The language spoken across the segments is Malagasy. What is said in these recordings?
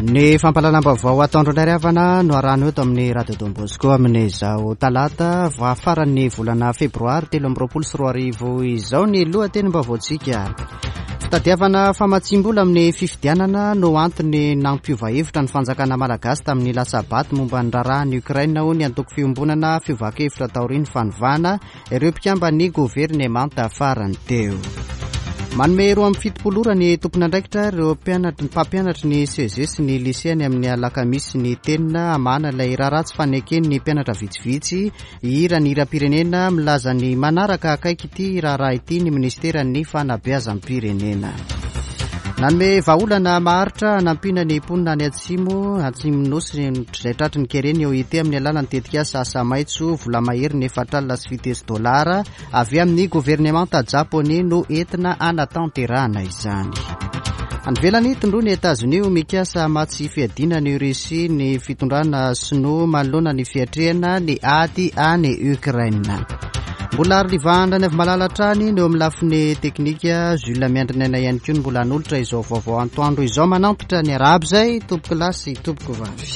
Ny fampahalalam-baovao ataondro indray ry havana no arahana eto amin'ny Radio Don Bosco amin'izao talata faran'ny volana febroary 2023 izao ny lohatenim-baovaontsika. Fitadiavana famatsiam-bola amin'ny fifidianana no antony nampiova hevitra ny fanjakana malagasy tamin'ny latsa-bato momba ny raharahan'i Ukraine hoy ny antoko fiombonana fiovan-kevitra taorian'ny fanovana ireo mpikamban'ny governemanta farany teo. Manome 72 ora ny tompon'andraikitra ireo mpianatry mpampianatry ny CEG sy ny lycée any amin'ny alakamisy ny tenina hamahana ilay raharaha tsy faneken'ny mpianatra vitsivitsy hihira ny hiram-pirenena milaza ny manaraka akaiky ity raharaha ity ny minisiteran'ny fanabeazam-pirenena. Nanome vahaolana maharitra hanampiana ny mponina any atsimo atsimon'ny nosy izay tratry ny kere ny OIT amin'ny alalan'ny tetikasa asa maitso vola mahery ny 740 dolara avy amin'ny governemanta japoney no entina hanatanterahana izany. Any ivelany, tondroin'i Etazonia ho mikasa hamatsy fiadiana an'i Russie ny fitondrana sinoa manoloana ny fiatrehana ny ady any Ukraine. Mbola arolivahana any avy malala hatrany ny eo amin'ny lafiny teknika. Jules Miandrinena ihany koa no mbola hanolotra izao vaovao antoandro izao. Manampitra ny arahaba izay tompoko lahy sy tompoko vavy.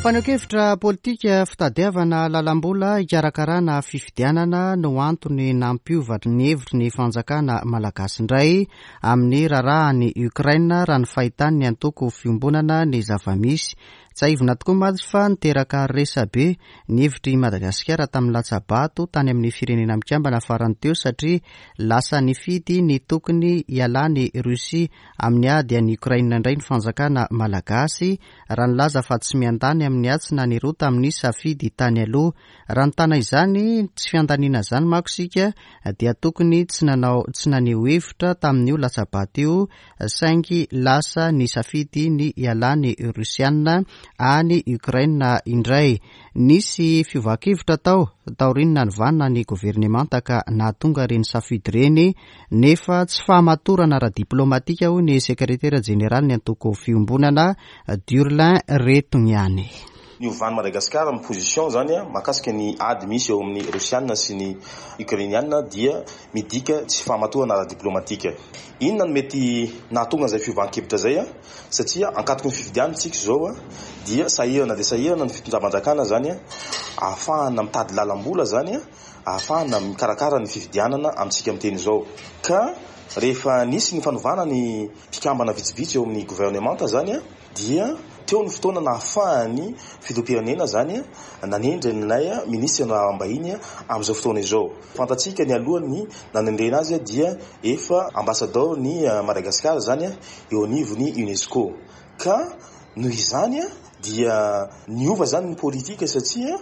Fanehoan-kevitra politika fitadiavana lalam-bola hikarakarana fifidianana no antony nampiova ny hevitry ny fanjakana malagasy indray amin'ny raharahan'i Ukraine raha ny fahitan'ny antoko Fiombonana ny zava-misy. Tsiahivina tokoa mantsy fa niteraka resa-be ny hevitr'i Madagasikara tamin'ny latsa-bato tany amin'ny Firenena Mikambana farany teo satria lasa nifidy ny tokony hialan'i Russie amin'ny ady any Ukraine indray ny fanjakana malagasy raha nilaza fa tsy miandany amin'ny atsy na ny eroa tamin'ny safidy tany aloha. Raha nitana izany tsy fiandaniana izany manko isika dia tokony tsy nanao tsy naneho hevitra tamin'io latsa-bato io saingy lasa nisafidy ny hialan'ny Rosiana any Ukraine indray. Nisy fiovan-kevitra tao taorian'ny nanovana ny governemanta ka nahatonga ireny safidy ireny, nefa tsy fahamatorana ara-diplaomatika hoy ny sekretera jeneralin'ny antoko Fiombonana, Durlin Retogniane. Niovan'i Madagasikara ny position zany mahakasika ny ady misy eo amin'ny Rosiana sy ny Ukrainiana dia midika tsy fahamatorana ara-diplomatika. Inona no mety nahatonga an'izay fiovan-kevitra izay? Satria ankatoky ny fifidianana isika izao dia sahirana dia sahirana ny fitondram-panjakana izany ahafahana mitady lalam-bola izany ahafahana mikarakara ny fifidianana amintsika miteny izao. Ka rehefa nisy ny fanovana ny mpikambana vitsivitsy eo amin'ny governemanta izany dia teo ny fotoana nahafahan'ny filoham-pirenena izany nanendry an'ilay minisitry ny raharaham-bahiny amin'izao fotoana izao. Fantatsika nialoha ny nanendrena azy dia efa ambasadaoro ny Madagasikara izany eo anivon'ny Unesco. Ka noho izany dia niova izany ny politika satria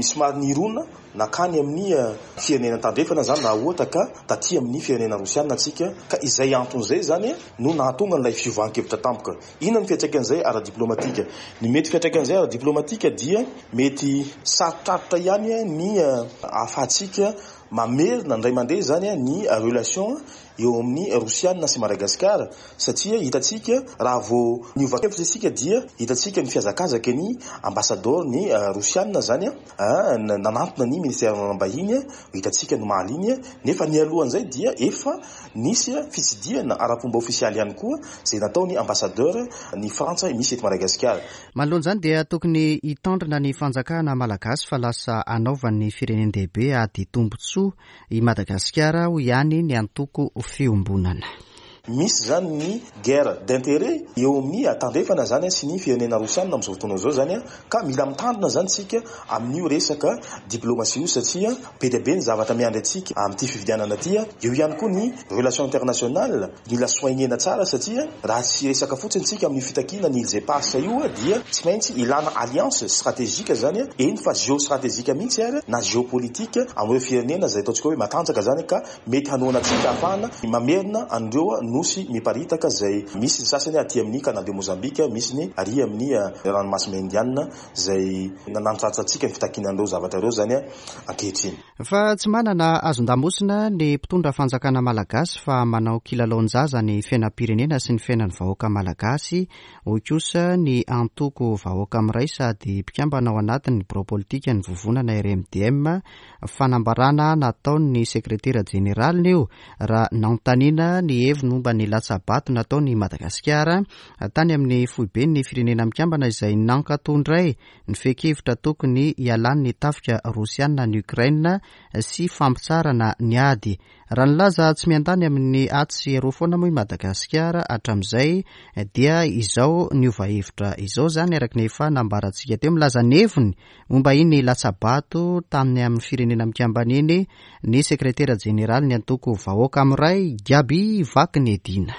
somary nirona nankany amin'ny firenena tandrefana izany raha ohatra ka taty amin'ny firenena rosiana tsika. Ka izay antony izay izany no nahatonga an'ilay fiovan-kevitra tampoka. Inona ny fiantraikan'izay ara-diplomatika? Ny mety fiantraikan'izay ara-diplomatika dia mety sarotrarotra ihany ny ahafahantsika mamerina indray mandeha izany ny relation eo amin'ny Rosiana sy Madagasikara satria hitantsika raha vao niova hevitra isika dia hitantsika ny fihazakazaky ny ambasadaoro ny Rosiana izany nanantona ny ministeran'ny raharaham-bahiny hitantsika ny omaly iny nefa nialohan'izay dia efa nisy fitsidihana ara-pomba ofisialy ihany koa izay nataon'ny ambassadeur ny Frantsa misy eto Madagasikara. Manoloana izany dia tokony hitandrina ny fanjakana malagasy fa lasa anaovan'ny firenen-dehibe ady tombontsoa i Madagasikara, hoy ihany ny antoko Fiombonana. Misy izany ny guerre d'intérêt eo amin'ny tandrefana izany sy ny firenena rosiana amin'izao fotoana izao izany ka mila mitandrina izany isika amin'io resaka diplomatie io satria be dia be ny zavatra miandry antsika amin'ity fifidianana ity. Eo ihany koa ny relation internationale mila soigner-na tsara satria raha tsy resaka fotsiny tsika amin'io fitakiana ny îles éparses io dia tsy maintsy ilana alliance stratégique izany eny fa géostratégique mihitsy ary na géopolitique amin'ireo firenena izay ataontsika hoe matanjaka izany ka mety hanohana antsika ahafahana mamerina an'ireo nosy miparitaka izay misy ny sasany aty amin'ny Canal de Mozambique, misy ny ary amin'ny ranomasina Indiana izay nanantsantsa antsika ny fitakiana an'ireo zavatra ireo izany ankehitriny. Fa tsy manana hazon-damosina ny mpitondra fanjakana malagasy fa manao kilalaon-jaza ny fiainam-pirenena sy ny fiainan'ny vahoaka malagasy, hoy kosa ny antoko Vahoaka Miray sady mpikambana ao anatin'ny birao politikan'ny vovonana RMDM. Fanambarana nataon'ny sekretera jeneraliny io raha nanontaniana ny heviny momba ny latsa-bato nataon'i Madagasikara tany amin'ny foiben'ny Firenena Mikambana izay nankatò indray ny fehin-kevitra tokony hialan'ny tafika Rosiana any Ukraine sy fampitsaharana ny ady. Raha nilaza tsy miandany amin'ny atsy sy eroa foana moa i Madagasikara hatramin'izay dia izao niova hevitra izao izany araka ny efa nambarantsika teo. Milaza ny heviny momba iny latsa-bato tany amin'ny Firenena Mikambana iny ny sekretera jeneralin'ny antoko Vahoaka Miray, Gaby Vakinedina.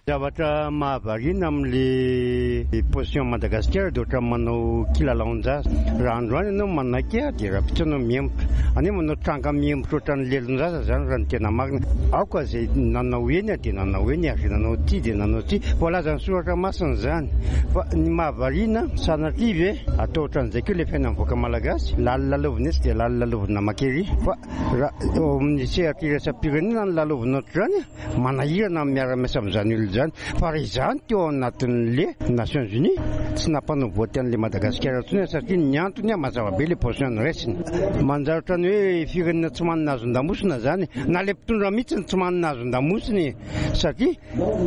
Zavatra mahavariana amin'le position Madagasikara dia ohatran'ny manao kilalaon-jaza. Raha androany ianao manaiky dia rahampitso ianao mihemotra. Any hoe manao tranga mihemotra ohatran'ny lelon-jaza izany raha ny tena marina. Aoka izay nanao eny dia nanao eny ary izay nanao tsia dia nanao tsia. Voalazan'ny soratra masina izany. Fa ny mahavariana, sanatria ve atao ohatran'izay koa ilay fiainan'ny vahoaka malagasy? Lalilalaovina etsy dia lalilalaovina mankery. Fa raha eo amin'ny sehatra iraisam-pirenena no lalaovina ohatr'izany, Manahirana ny miara-miasa amin'izany olona izany. Fa raha izany teo anatin'le Nations Unies, tsy nampanao vote an'le Madagasikara intsony aho satria ny antony mazava be le position noraisiny. Manjary ohatran'ny hoe firenena tsy manana hazon-damosina izany. Na le mpitondra mihitsy no tsy manana hazon-damosina e! Satria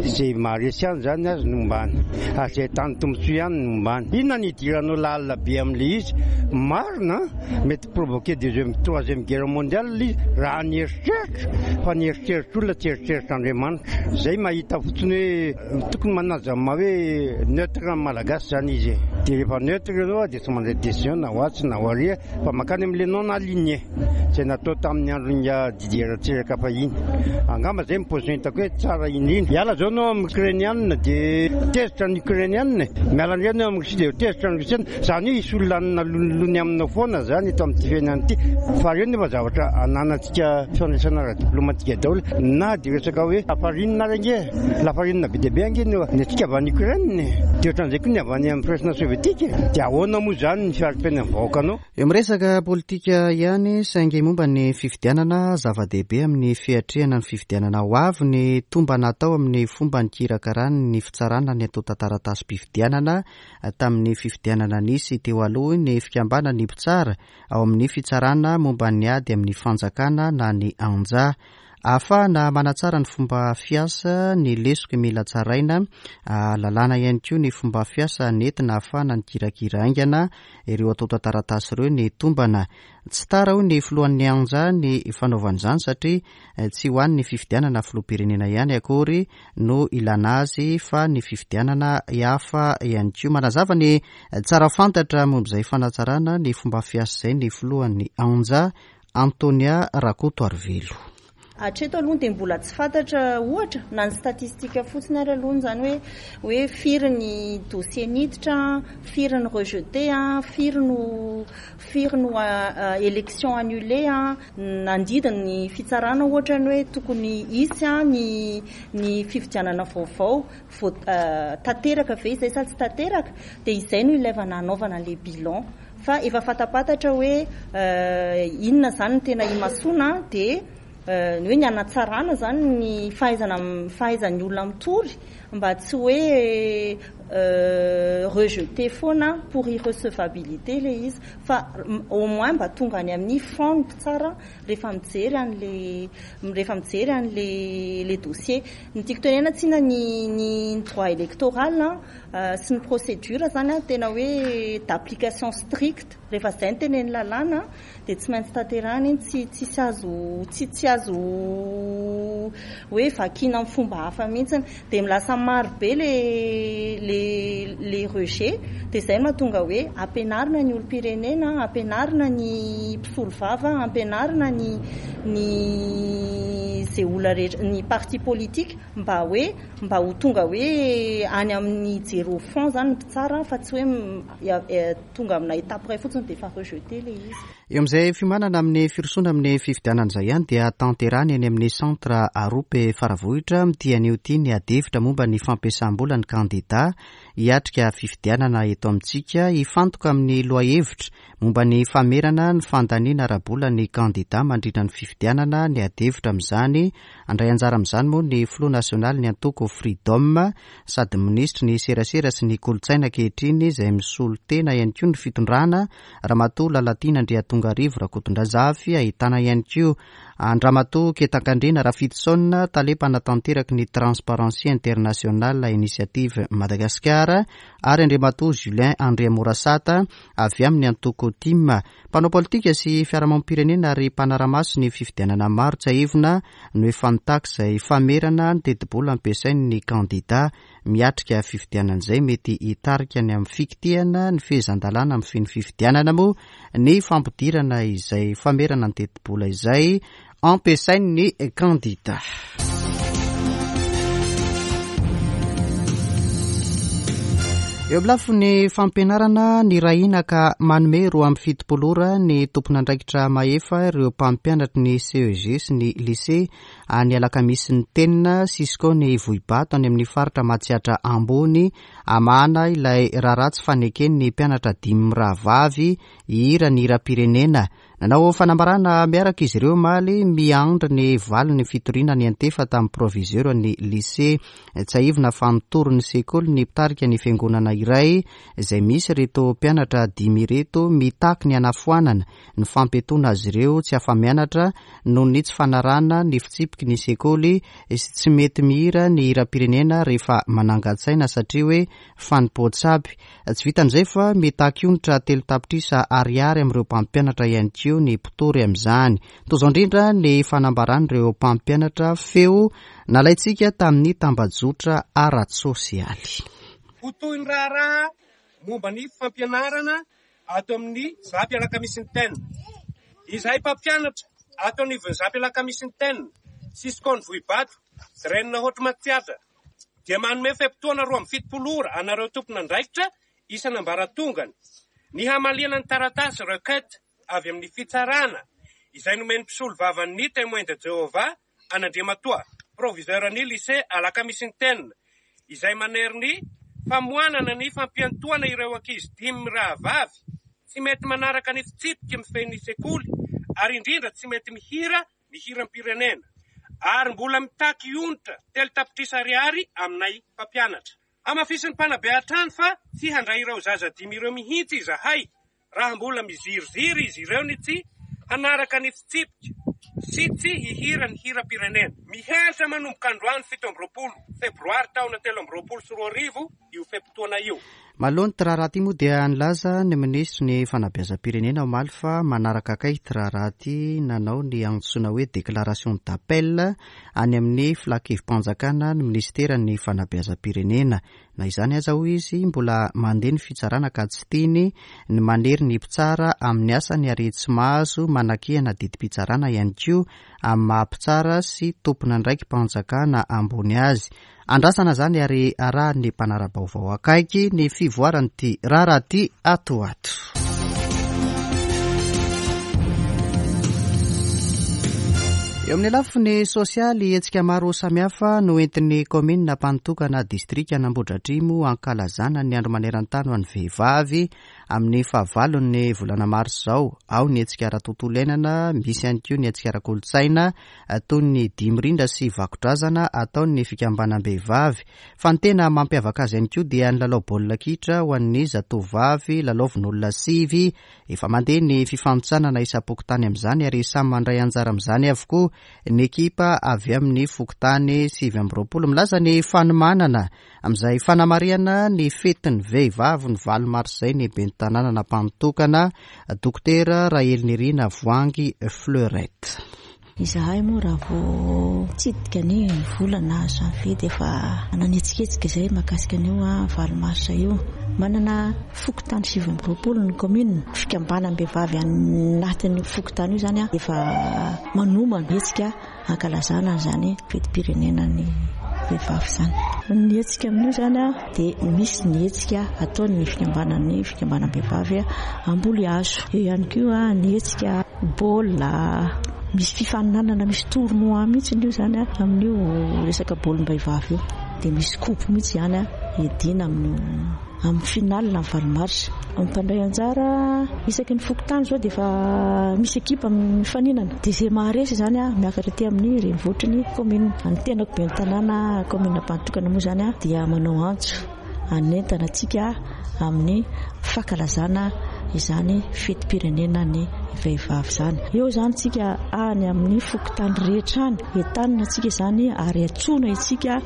izay maharesy ihany izany azy no ombany. Ary izay ahitany tombontsoa ihany no ombany. Inona no idiranao lalina be amin'le izy? Marina an! Mety provoquer deuxième troisième guerre mondiale izy raha ny eritreritra fa ny eritreritr'olona tsy eritreritr'Andriamanitra. Zay mahita fotsiny hoe tokony manaja ny maha hoe neutre ny Malagasy zany izy e. Dia rehefa neutre ianao dia tsy mandray décision na ho atsy na ho aria fa mankany amin'ilay non aligné izay natao tamin'ny andron'ingahy Didier Ratsiraka fahiny. Angamba zay ny position hitako hoe tsara indrindra. Miala zao ianao amin'ny Ukrainiana dia tezitra ny Ukrainiana e. Miala indray ianao amin'ny Russie dia tezitra ny Russiana. Izany hoe hisy olona hanana lonilony aminao foana izany eto amin'ity fiainana ity. Fa ireo nefa zavatra ananantsika fifandraisana ara-diplomatika daholo. Na dia resaka hoe lafarinina ary ange, lafarinina be dia be ange no ny antsika avy any Ukraine e. Dia ohatran'izay koa ny avy any amin'ny firaisana sovietika e. Dia ahoana moa izany ny fiari-piainan'ny vahoakanao? Eo miresaka politika ihany saingy momba ny fifidianana, zava-dehibe amin'ny fiatrehana ny fifidianana ho avy ny tombana atao amin'ny fomba nikirakarany ny fitsarana ny antontan-taratasim-pifidianana tamin'ny fifidianana nisy teo aloha ny fikambanan'ny mpitsara ao amin'ny fitsarana momba ny ady amin'ny fanjakana na ny Anja. Ahafahana manatsara ny fomba fiasa ny lesoka mila tsaraina, ahalalana ihany koa ny fomba fiasa nentina ahafahana nikirakira haingana ireo antontan-taratasy ireo ny tombana. Tsy tara hoy ny filohan'ny Anja ny fanaovana izany satria tsy ho an'ny fifidianana filoham-pirenena ihany akory no ilana azy fa ny fifidianana hafa ihany koa. Manazava ny tsara fantatra momba izay fanatsarana ny fomba fiasa izay ny filohan'ny Anja, Antonia Rakotoarivelo. Hatreto aloha dia mbola tsy fantatra ohatra na ny statistique fotsiny ary aloha izany hoe hoe firy ny dossier niditra, firy ny rejeté, firy no firy no élection annulée, nandidy ny fitsarana ohatra ny hoe tokony hisy ny ny fifidianana vaovao, vao tanteraka ve izay sa tsy tanteraka, dia izay no ilaivana hanaovana an'ilay bilan. Fa efa fantapantatra hoe inona izany no tena imasoana dia ny hoe ny hanatsarana izany ny fahaizana fahaizan'ny olona mitory mba tsy hoe rejeter foana pour irrecevabilité ilay izy fa au moins mba tonga any amin'ny fond ny mpitsara rehefa mijery an'ilay rehefa mijery an'ilay ilay dossier. Ny tiako tenenana tsinona ny ny droit électoral sy ny procédure zany an, tena hoe d'application stricte, rehefa zay no tenenin'ny lalàna dia tsy maintsy tanterahina iny, tsy tsisy azo tsy tsy azo hoe vakiana amin'ny fomba hafa mihitsy, dia lasa maro be le le le rejet, dia zay no mahatonga hoe ampianarina ny olom-pirenena, ampianarina ny mpisolovava, ampianarina ny ny ze olona rehetra, ny parti politique mba hoe Mba ho tonga hoe any amin'ny hijery au fond zany ny mpitsara fa tsy hoe tonga amina étape iray fotsiny. fotsiny dia efa rejeté ilay izy. Eo amin'izay fiomanana amin'ny firosoana amin'ny fifidianana izay ihany dia tanterahina eny amin'ny Centre Arope Faravohitra amin'ity anio ity ny adihevitra momba ny fampiasam-bola ny kandida hiatrika fifidianana eto amintsika. Hifantoka amin'ny lohahevitra momba ny famerana ny fandaniana ara-bola ny kandida mandritra ny fifidianana ny adihevitra amin'izany. Handray anjara amin'izany moa ny filoha nasionalin'ny antoko Freedom sady minisitry ny serasera sy ny kolontsaina ankehitriny izay misolo tena ihany koa ny fitondrana Ramatoa Lalatiana Andriatongarivo Rakotondrazafy, ahitana ihany koa an-dRamatoa Ketankandriana Rafidison, tale mpanatanteraky ny Transparency International Initiative Madagascar, ary Andriamatoa Julien Andriamorasata avy amin'ny antoko tim. Mpanao politika sy fiarahamonim-pirenena ary mpanara-maso ny fifidianana maro tsiahivina no efa nitaky izay famerana ny tetibola ampiasain'ny kandida miatrika fifidianana izay mety hitarika ny amin'ny fikitihana ny fehezan-dalàna mifehy ny fifidianana moa ny fampidirana izay famerana ny tetibola izay ampiasain'ny kandida. Eo amin'ny lafiny fampianarana, nirahina ka manome 72 ora ny tompon'andraikitra mahefa ireo mpampianatry ny CEG sy ny lycée any Alakamisy ny Tenina, Cisco ny Vohibato any amin'ny faritra Matsiatra Ambony, hamahana ilay raharaha tsy faneken'ny mpianatra dimy mirahavavy hihira ny hiram-pirenena. Nanao fanambarana miaraka izy ireo omaly, miandry ny valin'ny fitoriana niantefa tamin'ny proviseur ny lycée. Tsiahivina fa nitory ny sekoly ny mpitarika ny fiangonana iray izay misy ireto mpianatra dimy ireto mitaky ny hanafoanana ny fampiatoana azy ireo tsy afa-mianatra noho ny tsy fanarahana ny fitsipiky ny sekoly sy tsy mety mihira ny hiram-pirenena rehefa manangan-tsaina satria hoe fanompoan-tsampy. Tsy vitan'izay fa mitaky onitra 3 tapitrisa ariary amin'ireo mpampianatra ihany koa ny mpitory amin'izany. Toy izao indrindra ny fanambaran'ireo mpampianatra feo nalaintsika tamin'ny tambajotra ara-tsosialy. Ho toy ny raharaha momba ny fampianarana ato amin'ny Zap Alakamisy Ten. Izahay mpampianatra ato anivon'ny Zap Alakamisy Ten sy Scon Vohibato, Dren Haute Matsiatra dia manome fe-potoana 72 ora anareo tompon'andraikitra isan'ambaratongany ny hamaliana ny taratasy requête avy amin'ny fitsarana izay nomen'ny mpisolovavan'ny Témoin de Jéhovah an'Andriamatoa Proviseur ny Lycée Alakamisy izay manery ny famoanana ny fampiantoana ireo ankizy dimy mirahavavy tsy mety manaraka ny fitsipika mifehy ny sekoly ary indrindra tsy mety mihira ny hiram-pirenena ary mbola mitaky onitra 3 tapitrisa ariary aminay mpampianatra. Hamafisin'ny mpanabe hatrany fa tsy handray ireo zaza dimy ireo mihitsy izahay raha mbola miziriziry izy ireo ny tsy hanaraka ny fitsipika sy tsy hihira ny hiram-pirenena. Mihatra manomboka androany 27 febroary taona 2023 io fe-potoana io. Manoloana ity raharaha ity moa dia nilaza ny minisitry ny fanabeazam-pirenena omaly fa manaraka akaiky ity raharaha ity nanao ny antsoina hoe déclaration d'appel any amin'ny filankevi-panjakana ny minisiteran'ny fanabeazam-pirenena. Na izany aza hoy izy mbola mandeha ny fitsarana ka tsy tiany ny manery ny mpitsara amin'ny asany ary tsy mahazo manakihana didim-pitsarana ihany koa amin'ny maha mpitsara sy tompon'andraiki-panjakana ambony azy. Andrasana izany ary arahan'ny mpanara-baovao akaiky ny fivoaran'ity raharaha ity ato ho ato. Eo amin'ny lafiny sosialy, hetsika maro samihafa no entin'ny kaominina Ampanotokana distrikan'Ambohidratrimo ankalazana ny andro maneran-tany ho an'ny vehivavy amin'ny fahavalon'ny volana marsa izao. Ao ny hetsika ara-tontolo iainana, misy ihany koa ny hetsika ara-kolontsaina toy ny dihy mirindra sy vakodrazana ataon'ny fikambanam-behivavy. Fa ny tena mampiavaka azy ihany koa dia ny lalao baolina kitra ho an'ny zatovovavy lalaovin'olona sivy. Efa mandeha ny fifanintsanana isam-pokontany amin'izany ary samy mandray anjara amin'izany avokoa ny ekipa avy amin'ny fokontany 29. Milaza ny fanomanana amin'izay fanamarihana ny fetin'ny vehivavy ny 8 marsa izay ny ben'ny tanànan'Ampanotokana, Dokotera Rahelinirina Voahangy Fleurette. Izahay moa raha vao nitsidika ny volana janvier dia efa nanetsiketsika izay mahakasika an'io 8 marsa io. Manana fokontany 29 ny commune. Fikambanam-behivavy anatin'io fokontany io izany efa manomana hetsika hankalazana an'izany fetim-pirenena ny vehivavy izany. Ny hetsika amin'io izany dia misy ny hetsika ataon'ny fikambanan'ny fikambanam-behivavy hamboly hazo. Eo ihany koa ny hetsika baolina, misy fifaninanana, misy tournoi mihitsy io izany amin'io resaka baolim-behivavy io. Dia misy coupe mihitsy izany hiadiana amin'io. Amin'ny finale ny valo marsa. Ny mpandray anjara isaky ny fokontany izao dia efa misy ekipa mifaninana. Dia izay maharesy izany miakatra aty amin'ny renivohitry ny commune. Ny tenako ben'ny tanàna commune Ampanotokana moa izany dia manao antso hanentana antsika amin'ny fankalazana izany fetim-pirenena ny vehivavy izany. Eo izany tsika any amin'ny fokontany rehetra any, entanina antsika izany ary antsoina isika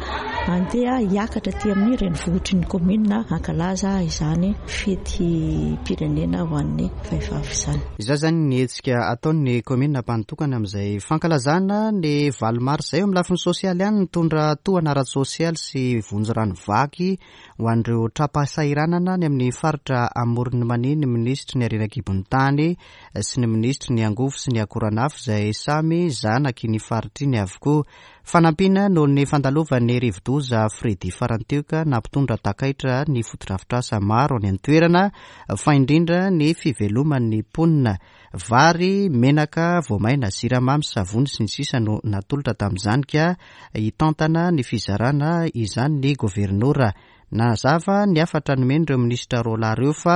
Andeha hiakatra aty amin'ny renivohitry ny kaominina hankalaza izany fetim-pirenena ho an'ny vehivavy izany. Izao izany ny hetsika ataon'ny kaominina Ampanotokana amin'izay fankalazana ny valo marsa izay. Eo amin'ny lafiny sosialy ihany, nitondra tohana ara-tsosialy sy vonjy rano vaky ho an'ireo tra-pahasahiranana any amin'ny faritra Amoron'i Mania ny minisitry ny harena an-kibon'ny tany sy ny minisitry ny angovo sy ny akoranafo izay samy zanaky ny faritra iny avokoa. Fanampiana noho ny fandalovan'ny rivodoza Freddy farany teo ka nampitondra takaitra ny fotodrafitrasa maro any an-toerana fa indrindra ny fiveloman'ny mponina. Vary, menaka, voamaina, siramamy, savony sy ny sisa no natolotra tamin'izany ka hitantana ny fizarana izany ny governora. Nanazava ny hafatra nomen'ireo minisitra roalahy ireo fa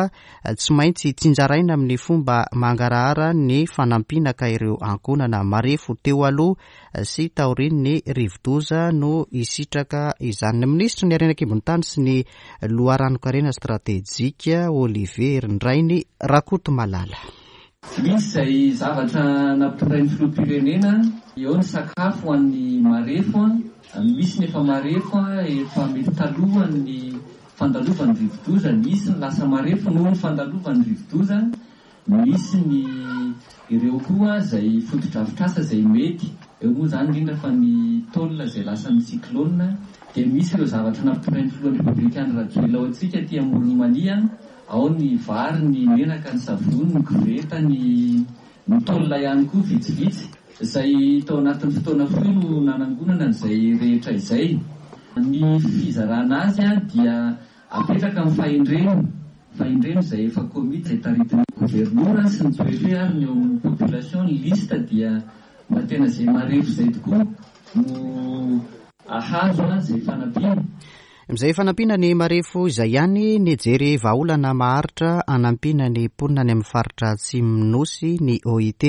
tsy maintsy tsinjaraina amin'ny fomba mangarahara ny fanampiana ka ireo ankohonana marefo teo aloha sy taorian'ny rivodoza no hisitraka izany. Ny minisitry ny harena an-kibon'ny tany sy ny loharanon-karena stratejika, Olivier Herindrainy Rakotomalala. Misy izay zavatra nampitondrain'ny filoham-pirenena, eo ny sakafo ho an'ny marefo, misy ny efa marefo efa mety talohan'ny fandalovan'ny rivodoza, nisy ny lasa marefo noho ny fandalovan'ny rivodoza, misy ny ireo koa izay fotodrafitrasa izay mety, eo moa izany indrindra fa ny tôle izay lasan'ny cyclone, dia misy ireo zavatra nampitondrain'ny filohan'ny Repoblika Andry Rajoelina ho antsika aty Amoron'i Mania. Ao ny vary, ny menaka, ny savony, ny koveta, ny ny tôle ihany koa vitsivitsy. Izay tao anatin'ny fotoana fohy no nanangonana an'izay rehetra izay. Ny fizarana azy dia apetraka amin'ny fahendrena, fahendrena izay efa komity izay taritin'ny governora sy ny préfet ary ny eo amin'ny population, ny liste dia mba tena izay marefo izay tokoa no ahazo izay fanampiana. Amin'izay fanampiana ny marefo izay ihany, nijery vahaolana maharitra hanampiana ny mponina any amin'ny faritra Atsimon'ny Nosy ny OIT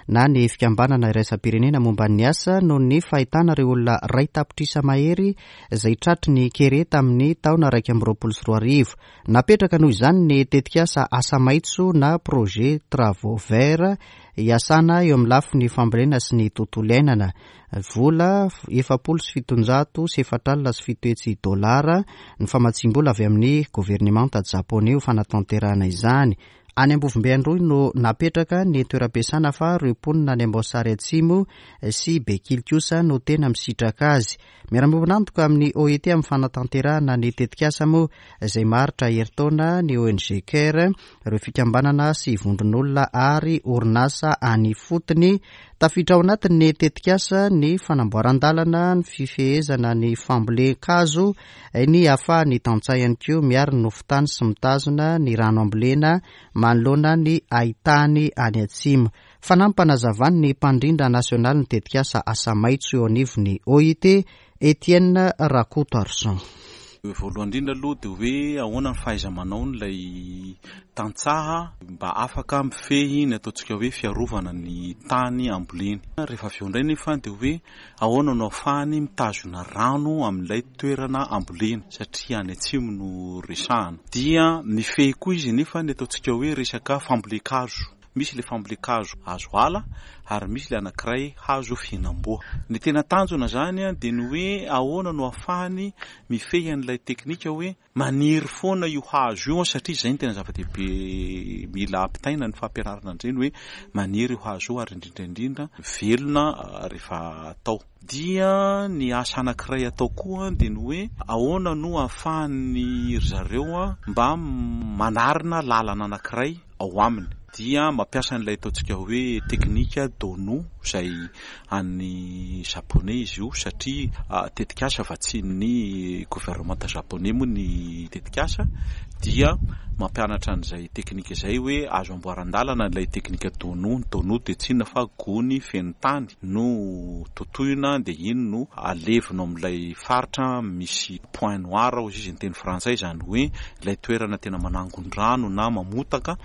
na ny Fikambanana Iraisam-pirenena momba ny Asa noho ny fahitana ireo olona iray tapitrisa mahery izay tratry ny kere tamin'ny taona 2021. Napetraka noho izany ny tetikasa Asa Maitso na Projet Travaux Verts hiasana eo amin'ny lafiny fambolena sy ny tontolo iainana. Vola 740 700 dolara ny famatsiam-bola avy amin'ny governemanta japoney ho fanatanterahana izany. Any Ambovombe Androy no napetraka ny toeram-piasana fa ireo mponina any Amboasary Atsimo sy Bekily kosa no tena misitraka azy. Miara-miombon'antoka amin'ny OIT amin'ny fanatanterahana ny tetikasa moa izay maharitra herintaona ny ONG Care, ireo fikambanana sy vondron'olona ary orinasa any ifotony. Tafiditra ao anatin'ny tetikasa ny fanamboaran-dalana, ny fifehezana ny fambolen-kazo, ny ahafahan'ny tantsaha ihany koa miaro ny nofon-tany sy mitazona ny rano ambolena manoloana ny haitany any atsimo. Fanampanazavan'ny mpandrindra nasionalin'ny tetikasa Asa Maitso eo anivon'ny OIT, Etienne Rakotoarison. Voalohany indrindra aloha dia hoe ahoana ny fahaiza-manaon'ilay tantsaha mba afaka mifehy ny ataontsika hoe fiarovana ny tany amboleny. Rehefa avy eo indray nefa dia hoe ahoana no ahafahany mitazona rano amin'ilay toerana amboleny satria any atsimo no resahana. Dia mifehy koa izy nefa ny ataontsika hoe resaka fambolen-kazo. Misy ilay fambolen-kazo hazo ala ary misy ilay anankiray hazo fihinam-boa. Ny tena tanjona izany dia ny hoe ahoana no ahafahany mifehy an'ilay teknika hoe maniry foana io hazo io satria izay no tena zava-dehibe mila ampitaina ny fampianarana an'ireny hoe maniry io hazo io ary indrindra indrindra velona rehefa atao. Dia ny asa anankiray atao koa dia ny hoe ahoana no ahafahan'ny ry zareo mba manarina lalana anankiray ao aminy. Dia mampiasa an'ilay ataontsika hoe teknika Dono izay an'ny Japoney izy io satria tetikasa vatsian'ny governemanta Japoney moa ny tetikasa dia mampianatra an'izay teknika izay hoe azo amboaran-dalana ilay teknika Dono. Ny Dono dia tsy inona fa gony feno tany no totoina dia iny no alevina ao amin'ilay faritra misy point noir hozy izy ny teny frantsay, izany hoe ilay toerana tena manangon-drano na mamotaka.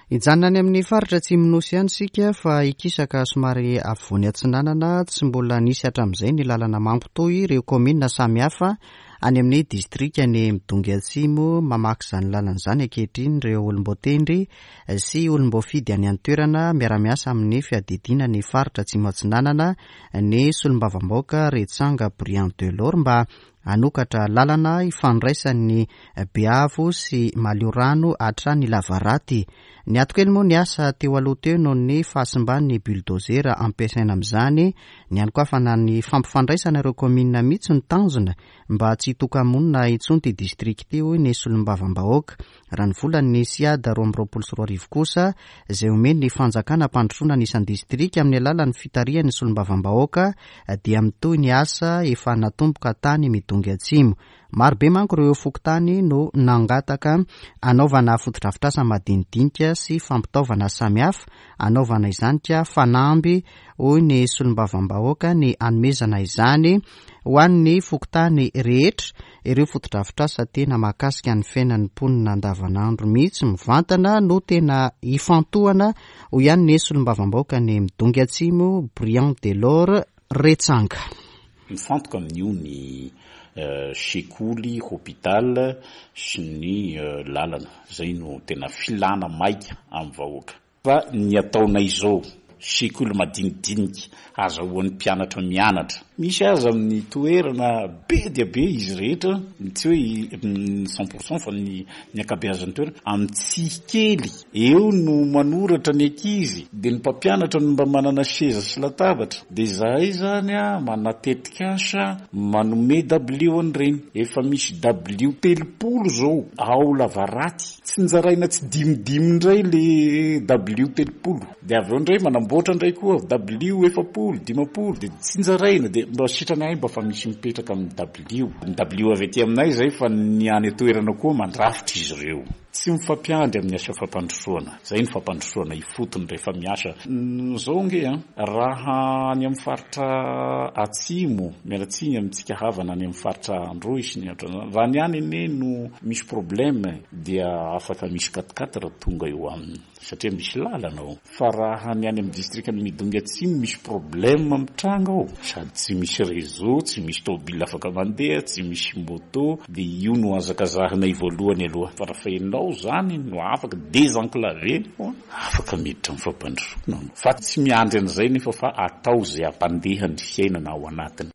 Hijanona any amin'ny faritra atsimon'ny Nosy ihany isika fa hikisaka somary afovoany atsinanana. Tsy mbola nisy hatramin'izay ny lalana mampitohy ireo kaominina samihafa any amin'ny distrikan'i Midongy Atsimo. Mamaky izany lalana izany ankehitriny ireo olom-boatendry sy olom-boafidy any an-toerana miara-miasa amin'ny fiadidiana ny faritra Atsimo Atsinanana ny solombavambahoaka Retsanga Briand Delors mba Hanokatra lalana ifandraisan'ny Beavo sy Maliorano hatrany Lavaraty. Niato kely moa ny asa teo aloha teo noho ny fahasimban'ny bulldozer ampiasaina amin'izany. Ny hanokafana ny fampifandraisana ireo kaominina mihitsy no tanjona mba tsy hitoka-monina intsony ity distrika ity, hoy ny solombavambahoaka. Raha ny volan'ny Siad 2022 kosa, izay omen'ny fanjakana hampandrosoana ny isan-distrika amin'ny alalan'ny fitarihan'ny solombavambahoaka, dia mitohy ny asa efa natomboka tany Midongy Atsimo. Marobe manko ireo fokontany no nangataka hanaovana fotodrafitrasa madinidinika sy fampitaovana samihafa, hanaovana izany ka fanamby, hoy ny solombavambahoaka, ny hanomezana izany ho an'ny fokontany rehetra. Ireo fotodrafitrasa tena mahakasika ny fiainan'ny mponina andavanandro mihitsy mivantana no tena ifantohana, hoy ihany ny solombavambahoaka ny Midongy Atsimo, Briand Delors Retsanga. Mifantoka amin'io ny sekoly, hôpital sy ny lalana. Izay no tena filàna maika amin'ny vahoaka. Fa ny ataonay izao, sekoly madinidinika azahoan'ny mpianatra mianatra. Misy aza amin'ny toerana be dia be izy rehetra, tsy hoe ny cent pour cent fa ny ny ankabeazan'ny toerana, amin'ny tsihy kely. Eo no manoratra ny ankizy, dia ny mpampianatra no mba manana seza sy latabatra. Dia izahay izany manana tetikasa manome dabilio an'ireny. Efa misy dabilio 30 izao ao Lavaraty. Tsinjaraina tsy dimidimy indray le dabilio 30 de avy eo indray manamboatra indray koa dabilio 40, 50 de tsinjaraina de mba sitrany ahy mba fa misy mipetraka amin'ny dabilio. Ny dabilio avy aty aminay izay fa ny any an-toerana koa mandrafitra izy ireo. Tsy mifampiandry amin'ny asa fampandrosoana. Izay ny fampandrosoana ifotony rehefa miasa. Izao ange an, raha any amin'ny faritra atsimo, miala tsiny amintsika havana any amin'ny faritra Androy sy ny ohatran'izany, raha ny any anie no misy problème dia afaka misy quatre quatre tonga eo aminy satria misy lalana ao. Fa raha ny any amin'ny distrikan'i Midongy Atsimo misy problème mitranga ao, sady tsy misy réseau, tsy misy tôbila afaka mandeha, tsy misy moto, dia io no hazakazahanay voalohany aloha. Fa raha enao zany no afaka désenclaver afaka miditra amin'ny fampandrosoana anao. Fa tsy miandry an'izay nefa fa atao izay hampandeha ny fiainana ao anatiny.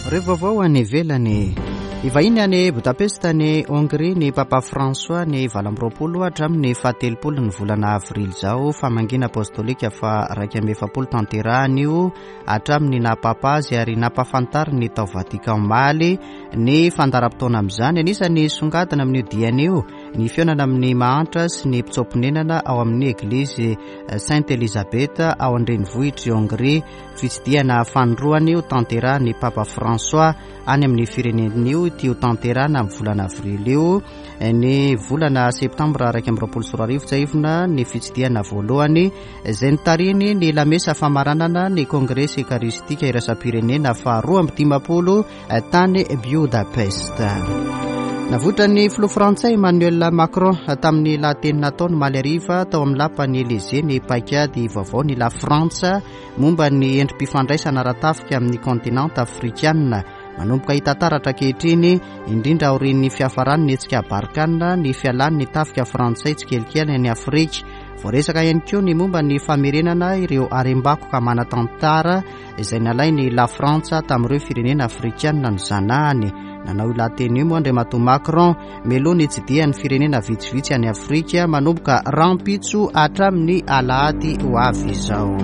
Ireo vaovao any ivelany. Hivahiny any Budapest any Hongrie ny Papa François ny 28 hatramin'ny faha-30 ny volana avrily izao. Famangiana apostolika faha 41 tanterahany io hatramin'ny naha Papa azy ary nampahafantariny tao Vatican omaly ny fandaharam-potoana amin'izany. Anisan'ny songadina amin'io diany io ny fihaonana amin'ny mahantra sy ny mpitsoa-ponenana ao amin'ny Eglizy Sainte Elisabeth ao an-drenivohitr'i Hongrie. Fitsidihana fanindroany ho tanterahin'ny Papa François any amin'ny firenena io ity ho tanterahina amin'ny volana avrily io. Ny volana septambra 2021 tsiahivina ny fitsidihana voalohany izay nitarihiny ny lamesa famaranana ny kongresy ekaristika iraisam-pirenena faha 52 tany Budapest. Navoitran'ny filoha frantsay Emmanuel Macron tamin'ny lahateny nataony omaly hariva tao amin'ny lapan'ny Elysée ny paikady vaovao ny La Frantsa momba ny endri-pifandraisana ara-tafika amin'ny kontinanta afrikana. Manomboka hita taratra ankehitriny, indrindra aorian'ny fiafaran'ny hetsika Barkhane, ny fialan'ny tafika frantsay tsikelikely any Afrika. Voaresaka ihany koa ny momba ny famerenana ireo harem-bakoka manan-tantara izay nalain'i Lafrantsa tamin'ireo firenena afrikanina nozanahany. Nanao io lahateny io moa Andriamatoa Macron mialoha ny hitsidihan'ny firenena vitsivitsy any Afrika manomboka rahampitso hatramin'ny alahady ho avy izao.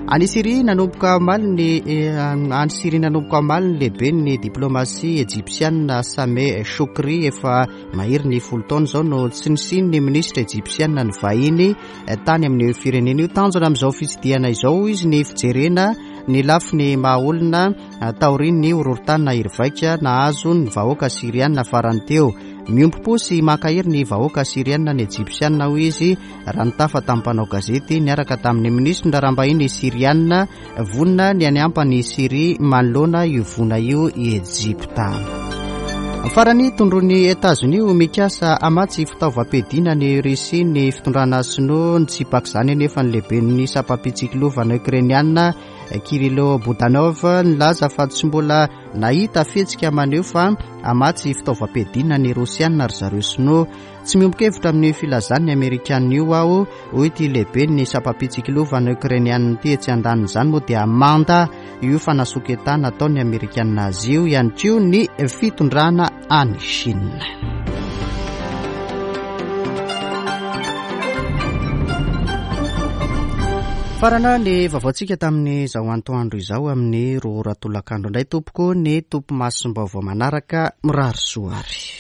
Any Syria nanomboka omaly ny any Syria nanomboka omaly ny lehiben'ny diplomasia ejipsianina Sameh Shoukry efa mahery ny folo taona izao no tsy nisian'ny minisitra ejipsianina nivahiny tany amin'io firenena io. Tanjona amin'izao fitsidihana izao hoy izy ny fijerena ny lafiny maha olona taorian'ny horohorontany nahery vaika nahazo ny vahoaka syriana farany teo. Miombom-po sy mankahery ny vahoaka syriana ny ejipsiana hoy izy raha nitafa tamin'ny mpanao gazety niaraka tamin'ny minisitry ny raharaham-bahiny syriana vonona ny haniampa an'i Syria manoloana io voina io i Ejipta. Farany, tondroin'i Etazonia ho mikasa hamatsy fitaovam-piadiana an'i Russie ny fitondrana sinoa. Nitsipaka izany anefa ny lehiben'ny sampam-pitsikilovana Ukrainiana Kyrylo Budanov nilaza fa tsy mbola nahita fihetsika maneho fa hamatsy fitaovam-piadiana ny Rosiana ry zareo sinoa. Tsy miombon-kevitra amin'io filazan'ny Amerikanina io aho, hoy ity lehiben'ny sampam-pitsikilovana Ukrainianina ity. Etsy andanin'izany moa dia manda io fanasoketana ataon'ny Amerikanina azy io ihany koa ny fitondrana any Chine. Farana ny vaovaontsika tamin'izao antoandro izao amin'ny roa ora tolakandro indray tompoko ny tompo masom-baovao manaraka mirary soa ary.